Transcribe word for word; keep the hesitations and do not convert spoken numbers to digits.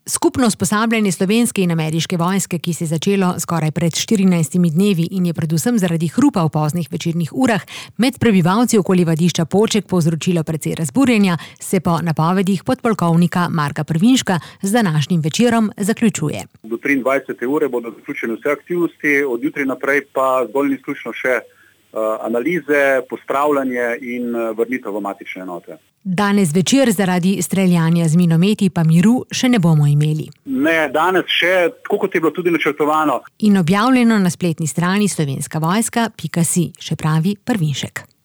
Skupno usposabljanje slovenske in ameriške vojske, ki se je začelo skoraj pred štirinajstimi dnevi in je predvsem zaradi hrupa v poznih večernih urah med prebivalci okoli vadišča Poček povzročilo precej razburjenja, se po napovedih podpolkovnika Marka Prvinška z današnjim večerom zaključuje. Do triindvajsete ure bodo zaključene vse aktivnosti, od jutri naprej pa zgolj in izključno še analize, pospravljanje in vrnitev v matične enote. Danes večer zaradi streljanja z minometi pa miru še ne bomo imeli. Ne, danes še, tako kot je bilo tudi načrtovano. In objavljeno na spletni strani slovenska vojska pika si, še pravi Prvinšek.